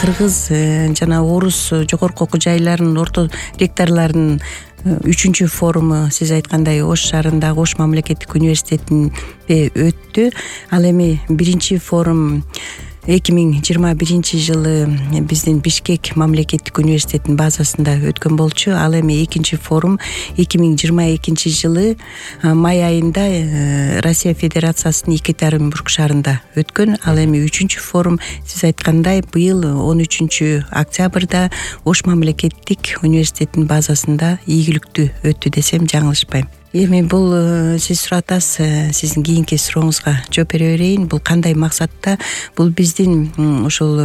кыргыз жана орус жогорку окуу жайларынын орто ректорлорунун 3-чү форуму сиз айткандай Ош шаарындагы Ош мамлекеттик университетинде өттү. Ал эми 1-чи форум 2021 жылы биздин Бишкек мамлекеттик университетинин базасында өткөн болчу. Ал эми 2-чи форум 2022 жылы май айында Россия Федерациясынын Екатеринбург шаарында өткөн. Ал эми 3-чү форум сиз айткандай быйыл 13 октябрда Ош мамлекеттик университетинин базасында ийгиликтүү өттү десем жаңылышпайм. Эми бул сиз суратасыз, сиздин кийинки сурооңузга жооп бере берейин. Бул кандай максатта? Бул биздин ушул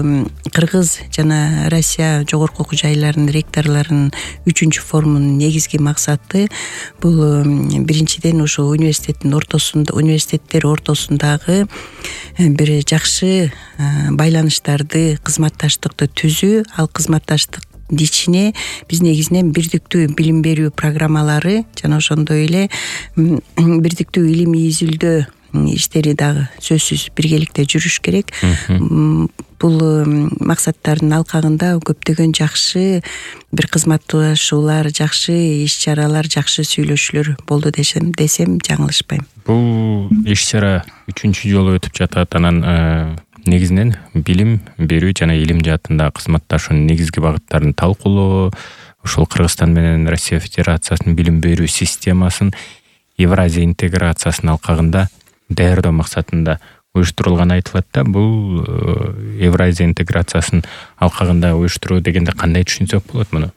Кыргыз жана Россия жогорку окуу жайларынын ректорлорунун 3-чү форумунун негизги максаты бул биринчиден ушул университеттер ортосундагы бир жакшы байланыштарды, кызматташтыкты түзүү. Ал кызматташтык ичине биз негизинен бирдиктүү билим берүү программалары жана ошондой эле бирдиктүү илимий изилдөө иштери дагы сөзсүз биргеликте жүрүш керек. Бул максаттардын алкагында көптөгөн жакшы бир кызматташуулар, жакшы иш-чаралар, жакшы сүйлөшүүлөр болду десем жаңылышпайм. Бул иш-чара 3-чү жолу өтүп жатат. Анан негизинен билим берүү жана илим жаатында кызматташуунун негизги багыттарын талкуулоо, ошол Кыргызстан менен Россия Федерациясынын билим берүү системасын Евразия интеграциясынын алкагында даярдоо максатында уюштурулганы айтылат да. Бул Евразия интеграциясынын алкагында уюштуруу дегенде кандай түшүнсөк болот муну?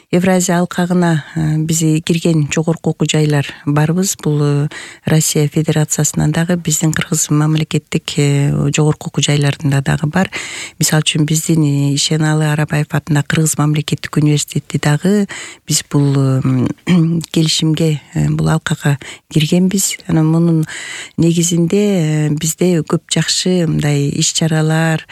Евразия алкагына биз кирген жогорку окуу жайлар барбыз. Бул Россия Федерациясынан дагы биздин Кыргыз мамлекеттик жогорку окуу жайларында дагы бар. Мисалы үчүн биздин Ишеналы Арабаев атындагы Кыргыз мамлекеттик университети дагы биз бул келишимге, бул алкага киргенбиз. Анан мунун негизинде бизде көп жакшы мындай иш-чаралар,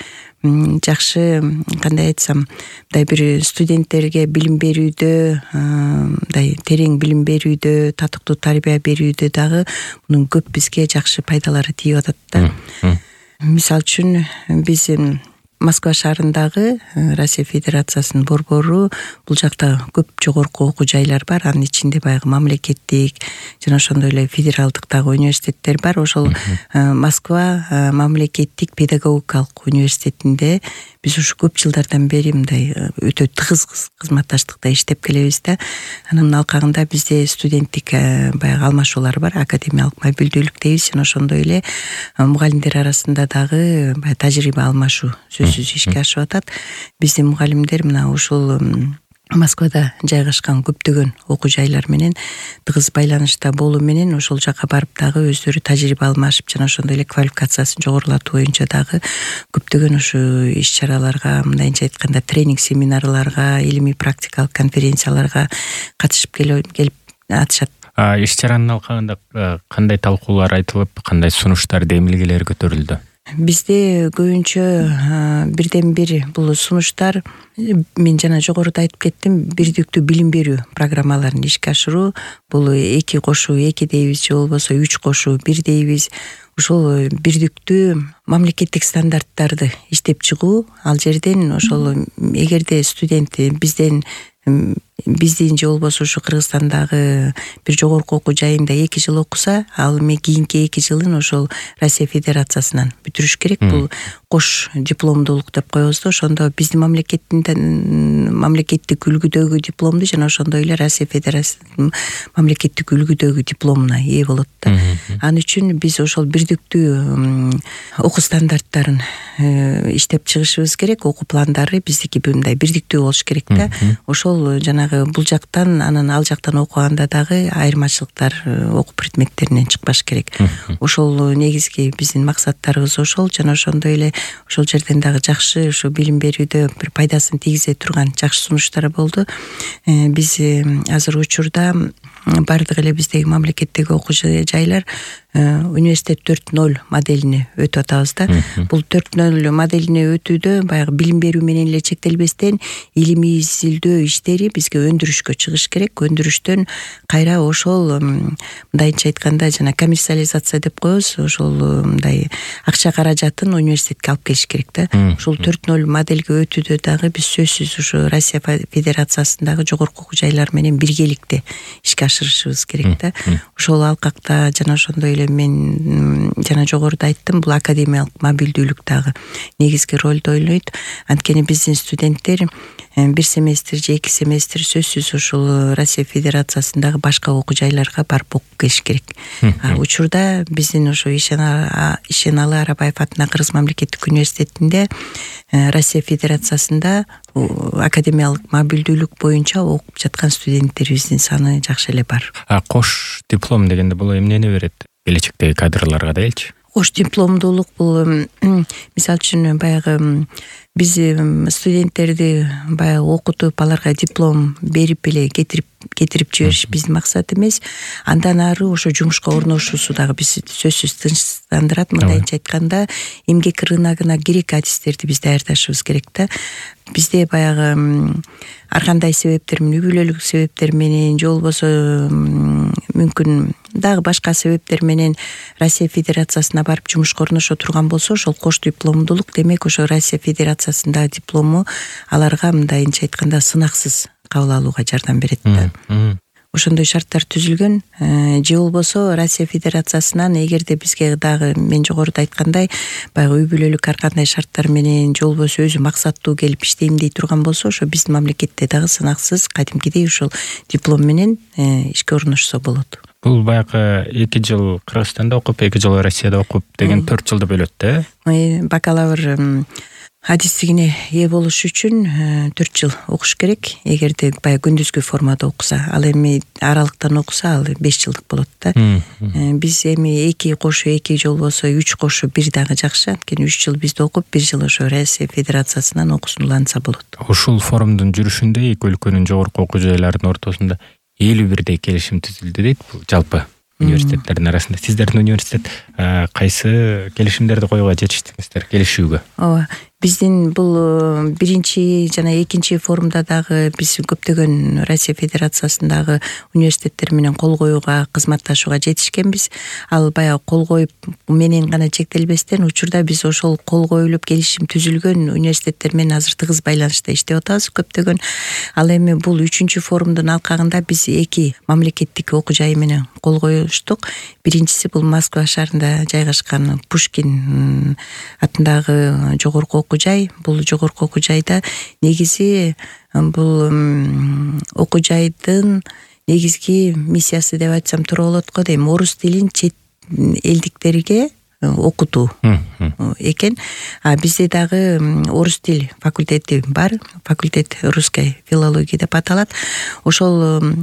жакшы кандай айтсам, мындай бир студенттерге билим берүүдө, мындай терең билим берүүдө, татыктуу тарбия берүүдө дагы мунун көп бизге жакшы пайдалары тийип атат да. Мисалы үчүн биз Москва шаарындагы Россия Федерациясынын борбору, бул жакта көп жогорку окуу жайлар бар. Анын ичинде баягы мамлекеттик жана ошондой эле федералдык дагы университеттер бар. Ошол Москва мамлекеттик педагогикалык университетинде биз ушу көп жылдардан бери мындай өтө тыгыз кызматташтыкта иштеп келебиз да. Анын алкагында бизде студенттик баягы алмашуулар бар, академиялык мобилдүүлүк дейбиз. Жана ошондой эле мугалимдер арасында дагы баягы тажрыйба алмашуу сөзсүз ишке ашып атат. Биздин мугалимдер мына ушул Москвада жайгашкан көптөгөн окуу жайлар менен тыгыз байланышта болуу менен ошол жака барып дагы өздөрү тажрыйба алмашып жана ошондой эле квалификациясын жогорулатуу боюнча дагы көптөгөн ушу иш-чараларга, мындайча айтканда тренинг семинарларга, илимий практикалык конференцияларга катышып келип атышат. Иш-чаранын алкагында кандай талкуулар айтылып, кандай сунуштар, демилгелер көтөрүлдү? Бизде көбүнчө бирден бир бул сунуштар, мен жана жогоруда айтып кеттим, бирдиктүү билим берүү программаларын ишке ашыруу. Бул 2+2 дейбиз, же болбосо 3+1 дейбиз. Ошол бирдиктүү мамлекеттик стандарттарды иштеп чыгуу. Ал жерден ошол эгерде студент биздин же болбосо ушу Кыргызстандагы бир жогорку окуу жайында 2 жыл окуса, ал эми кийинки 2 жылын ошол Россия Федерациясынан бүтүрүш керек. Бул кош дипломдуулук деп коебуз да. Ошондо биздин мамлекеттик үлгүдөгү дипломду жана ошондой эле Россия Федерациясынын мамлекеттик үлгүдөгү дипломуна ээ болот да. Ал үчүн биз ошол бирдиктүү окуу стандарттарын иштеп чыгышыбыз керек. Окуу пландары биздики мындай бирдиктүү болуш керек да. Ошол жанагы бул жактан, анан ал жактан окуганда дагы айырмачылыктар окуу предметтеринен чыкпаш керек. Ошол негизги биздин максаттарыбыз ошол. Жана ошондой эле ошол жерден дагы жакшы ушу билим берүүдө бир пайдасын тийгизе турган жакшы сунуштар болду. Биз азыр учурда бардык эле биздеги мамлекеттеги окуу жайлар университет 4.0 моделине өтүп атабыз да. Бул 4.0 моделине өтүүдө баягы билим берүү менен эле чектелбестен илимий изилдөө иштери бизге өндүрүшкө чыгыш керек. Өндүрүштөн кайра ошол мындайча айтканда жана коммерциализация деп коебуз, ошол мындай акча каражатын университетке алып келиш керек да. Ушул 4.0 модельге өтүүдө дагы биз сөзсүз ушу Россия Федерациясындагы жогорку окуу жайлар менен биргеликте ишке ашырышыбыз керек да. Ошол алкакта жана ошондой эле мен жана жогоруда айттым, бул академиялык мобилдүүлүк дагы негизги ролду ойнойт. Анткени биздин студенттер бир семестр же 2 семестр сөзсүз ушул Россия Федерациясындагы башка окуу жайларга барып окуп келиш керек. Учурда биздин ошо Ишеналы Арабаев атынан Кыргыз мамлекеттик университетинде Россия Федерациясында академиялык мобилдүүлүк боюнча окуп жаткан студенттерибиздин саны жакшы эле бар. Кош диплом дегенде бул эмнени берет келечектеги кадрларга делчи? Кош дипломдуулук бул мисалы үчүн баягы биз студенттерди баягы окутуп аларга диплом берип эле кетирип жибериш биздин максат эмес. Андан ары ошо жумушка орношуусу дагы биз сөзсүз тынчтандырат. Мындайча айтканда эмгек рыногуна керек адистерди биз даярдашыбыз керек да. Бизде баягы ар кандай себептер менен, үй бүлөлүк себептер менен же болбосо мүмкүн дагы башка себептер менен Россия Федерациясына барып жумушка орношо турган болсо, ошол кош дипломдуулук демек ошо Россия Федерациясындагы диплому аларга мындайча айтканда сынаксыз кабыл алууга жардам берет да. Ошондой шарттар түзүлгөн. Же болбосо Россия Федерациясынан эгерде бизге дагы мен жогоруда айткандай баягы үй бүлөлүк ар кандай шарттар менен же болбосо өзү максаттуу келип иштейм дей турган болсо, ошо биздин мамлекетте дагы сынаксыз кадимкидей ушул диплом менен ишке орношсо болот. Бул баягы 2 жыл Кыргызстанда окуп, 2 жыл Россияда окуп деген 4 жылды бөлөт да. Бакалавр адистигине ээ болуш үчүн 4 жыл окуш керек. Эгерде баягы күндүзгү формада окуса, ал эми аралыктан окуса, ал 5 жылдык болот да. Биз эми 2 кошу 2 же болбосо 3 кошу 1 дагы жакшы. Анткени 3 жыл бизде окуп, 1 жыл ошо Россия Федерациясынан окуусун уланса болот. Ушул форумдун жүрүшүндө эки өлкөнүн жогорку окуу жайларынын ортосунда 51 келишим түзүлдү дейт. Бул жалпы университеттердин арасында. Сиздердин университет кайсы келишимдерди коюуга жетиштиңиздер, келишүүгө? Ооба. Биздин бул биринчи жана экинчи форумда дагы биз көптөгөн Россия Федерациясындагы университеттер менен кол коюуга, кызматташууга жетишкенбиз. Ал баягы кол коюп менен гана чектелбестен, учурда биз ошол кол коюлуп келишим түзүлгөн университеттер менен азыр тыгыз байланышта иштеп атабыз көптөгөн. Ал эми бул 3-чү форумдун алкагында биз 2 мамлекеттик окуу жай менен кол коюштук. Биринчиси бул Москва шаарында жайгашкан Пушкин атындагы жогорку окуу жай. Бул жогорку окуу жайда негизи бул окуу жайдын негизги миссиясы деп айтсам туура болот го дейм. Орус тилин чет элдиктерге окутуу экен. Бизде дагы орус тил факультети бар. Факультет русской филологии деп аталат. Ошол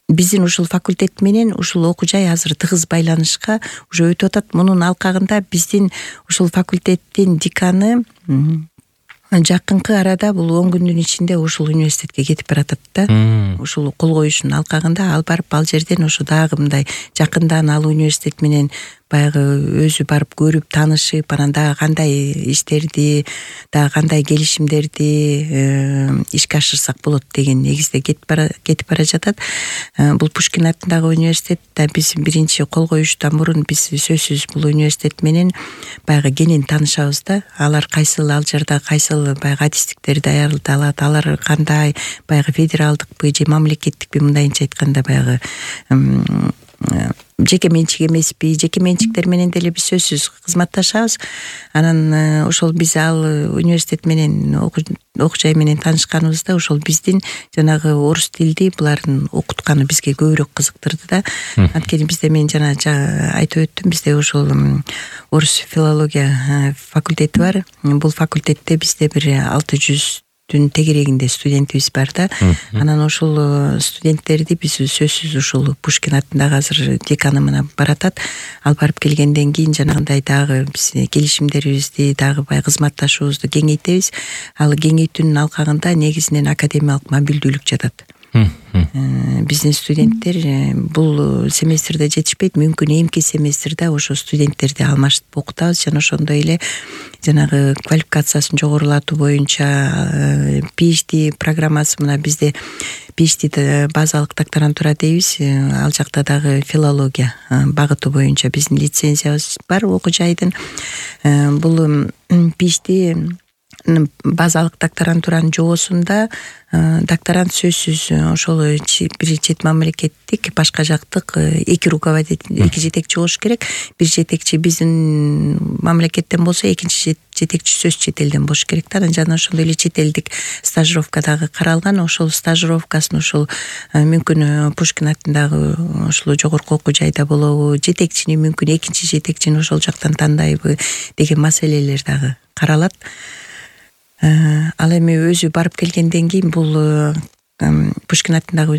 биздин ушул факультет менен ушул окуу жай азыр тыгыз байланышка уже өтүп атат. Мунун алкагында биздин ушул факультеттин деканы жакынкы арада бул 10 күндүн ичинде ушул университетке кетип баратат да. Ушул кол коюшунун алкагында ал барып ал жерден ошо дагы мындай жакындан ал университет менен баягы өзү барып көрүп таанышып, анан дагы кандай иштерди, дагы кандай келишимдерди ишке ашырсак болот деген негизде кетип бара жатат. Бул Пушкин атындагы университет да биз биринчи кол коюштан мурун биз сөзсүз бул университет менен баягы кенен таанышабыз да. Алар кайсыл ал жерде кайсыл баягы адистиктерди даярдалат, алар кандай баягы федералдыкпы же мамлекеттикпи, мындайча айтканда баягы жеке менчик эмеспи, жеке менчиктер менен деле биз сөзсүз кызматташабыз. Анан ошол биз ал университет менен окуу жай менен таанышканыбызда ошол биздин жанагы орус тилди булардын окутканы бизге көбүрөөк кызыктырды да. Анткени бизде мен жана айтып өттүм, бизде ошол орус филология факультети бар. Бул факультетте бизде бир 600 тегерегинде студентибиз бар да. Анан ошол студенттерди биз сөзсүз ушул Пушкин атындагы азыр деканы менен баратат. Ал барып келгенден кийин жанагындай дагы биз келишимдерибизди дагы баягы кызматташуубузду кеңейтебиз. Ал кеңейтүүнүн алкагында негизинен академиялык мобилдүүлүк жатат. Биздин студенттер бул семестрде жетишпейт, мүмкүн эмки семестрде ошо студенттерди алмашып окутабыз жана ошондой эле жанагы квалификациясын жогорулатуу боюнча PhD программасы, мына бизде PhD базалык докторантура дейбиз, ал жакта дагы филология багыты боюнча биздин лицензиябыз бар окуу жайдын. Бул PhD базалык докторантуранын жоосунда докторант сөзсүз ошол бир чет мамлекеттик башка жактык эки руководитель, эки жетекчи болуш керек. Бир жетекчи биздин мамлекеттен болсо, экинчи жетекчи сөз чет элден болуш керек да. Жана ошондой эле чет элдик стажировка дагы каралган. Ошол стажировкасын ошол мүмкүн Пушкин атындагы ошол жогорку окуу жайда болобу, жетекчини мүмкүн экинчи жетекчини ошол жактан тандайбы деген маселелер дагы каралат. Ал эми өзү барып келгенден кийин бул Пушкин атындагы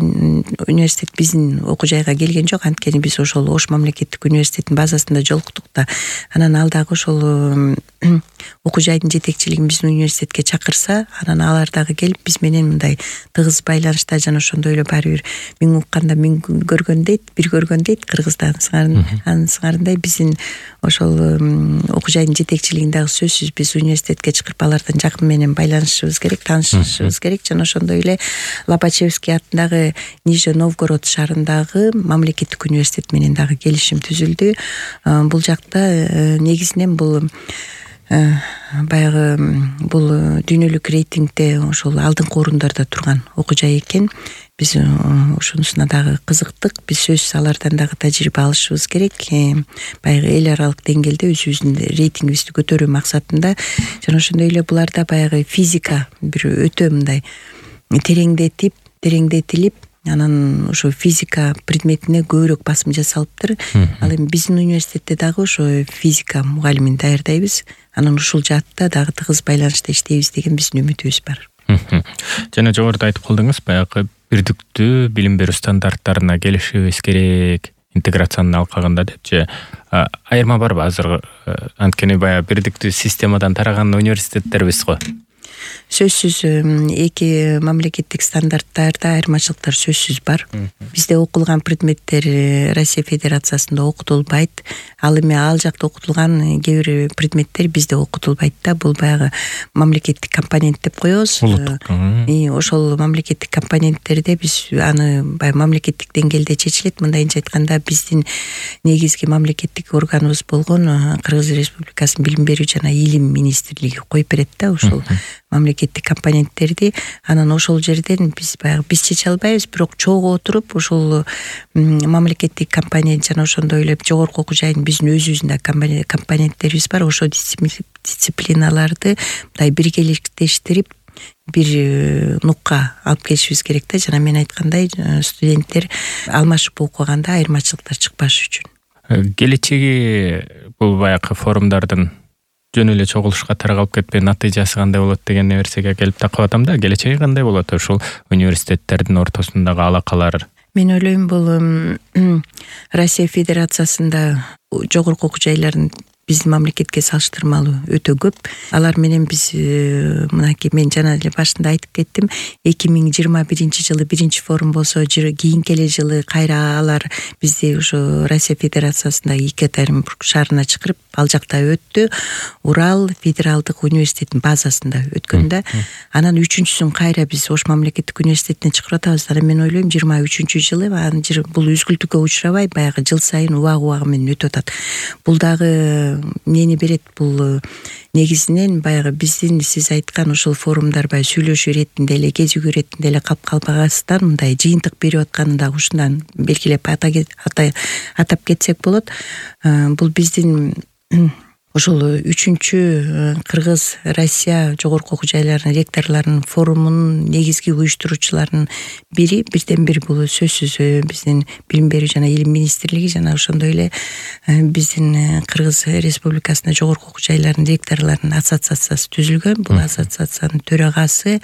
университет биздин окуу жайга келген жок. Анткени биз ошол Ош мамлекеттик университетинин базасында жолуктук да. Анан ал дагы ошол окуу жайдын жетекчилигин биздин университетке чакырса, анан алар дагы келип биз менен мындай тыгыз байланышта, жана ошондой эле баары бир миң укканда миң көргөн дейт, бир көргөн дейт кыргызда. Анын сыңарындай биздин ошол окуу жайдын жетекчилигин дагы сөзсүз биз университетке чакырып алардан жакын менен байланышыбыз керек, таанышышыбыз керек. Жана ошондой эле Лобачевский атындагы Нижний Новгород шаарындагы мамлекеттик университет менен дагы келишим түзүлдү. Бул жакта негизинен бул баягы бул дүйнөлүк рейтингде ошол алдыңкы орундарда турган окуу жай экен. Биз ошонусуна дагы кызыктык. Биз сөзсүз алардан дагы тажрыйба алышыбыз керек. Баягы эл аралык деңгээлде өзүбүздүн рейтингибизди көтөрүү максатында. Жана ошондой эле буларда баягы физика бир өтө мындай тереңдетилип, анан ошо физика предметине көбүрөөк басым жасалыптыр. Ал эми биздин университетте дагы ошо физика мугалимин даярдайбыз. Анан ушул жаатта дагы тыгыз байланышта иштейбиз деген биздин үмүтүбүз бар. Жана жогоруда айтып калдыңыз, баягы бирдиктүү билим берүү стандарттарына келишибиз керек, интеграциянын алкагында депчи. Айырма барбы азыр? Анткени баягы бирдиктүү системадан тараган университеттербиз го. Сөзсүз эки мамлекеттик стандарттарда айырмачылыктар сөзсүз бар. Бизде окулган предметтер Россия Федерациясында окутулбайт. Ал эми ал жакта окутулган кээ бир предметтер бизде окутулбайт да. Бул баягы мамлекеттик компонент деп коебуз. Ошол мамлекеттик компоненттерде биз аны баягы мамлекеттик деңгээлде чечилет. Мындайынча айтканда биздин негизги мамлекеттик органыбыз болгон Кыргыз Республикасынын билим берүү жана илим министрлиги коюп берет да ошол мамлекеттик компоненттерди. Анан ошол жерден биз баягы биз чече албайбыз, бирок чогуу отуруп ошол мамлекеттик компонент жана ошондой эле жогорку окуу жайдын биздин өзүбүздүн компоненттерибиз бар. Ошол дисциплиналарды мындай биргеликтештирип бир нукка алып келишибиз керек да. Жана мен айткандай студенттер алмашып окуганда айырмачылыктар чыкпаш үчүн. Келечеги бул баягы форумдардын жөн эле чогулушка таралып кетпей натыйжасы кандай болот деген нерсеге келип такап атам да. Келечеги кандай болот ушул университеттердин ортосундагы алакалар? Мен ойлойм бул Россия Федерациясында жогорку окуу жайлардын биздин мамлекетке салыштырмалуу өтө көп. Алар менен биз мынакей мен жана эле башында айтып кеттим, 2021-жылы биринчи форум болсо, кийинки эле жылы кайра алар бизди ошо Россия Федерациясында Екатеринбург шаарына чакырып, ал жакта өттү. Урал федералдык университетинин базасында өткөн да. Анан үчүнчүсүн кайра биз Ош мамлекеттик университетине чакырып атабыз. Анан мен ойлойм 23-жылы бул үзгүлтүккө учурабай баягы жыл сайын убагы менен өтүп атат. Бул дагы эмнени берет? Бул негизинен баягы биздин сиз айткан ошол форумдар баягы сүйлөшүү иретинде эле, кезигүү иретинде эле калып калбагасыздан мындай жыйынтык берип атканын дагы ушундан белгилеп атап кетсек болот. Бул биздин ошол 3-чү Кыргыз Россия жогорку окуу жайларынын ректорлорунун форумунун негизги уюштуруучуларынын бири, бирден бир бул сөзсүз биздин билим берүү жана илим министрлиги жана ошондой эле биздин Кыргыз Республикасында жогорку окуу жайларынын ректорлорунун ассоциациясы түзүлгөн. Бул ассоциациянын төрагасы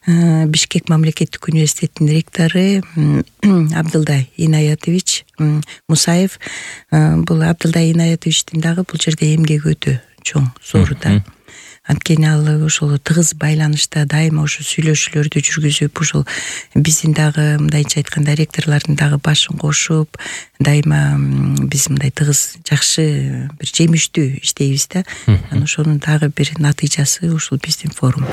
Бишкек мамлекеттик университетинин ректору Абдылдай Инаятович Мусаев. Бул Абдылдай Инаятовичтин дагы бул жерде эмгеги өтө чоң, зор да. анткени ал ошол тыгыз байланышта дайыма ошо сүйлөшүүлөрдү жүргүзүп, ушул биздин дагы мындайча айтканда ректорлордун дагы башын кошуп, дайыма биз мындай тыгыз жакшы бир жемиштүү иштейбиз да. Анан ошонун дагы бир натыйжасы ушул биздин форум.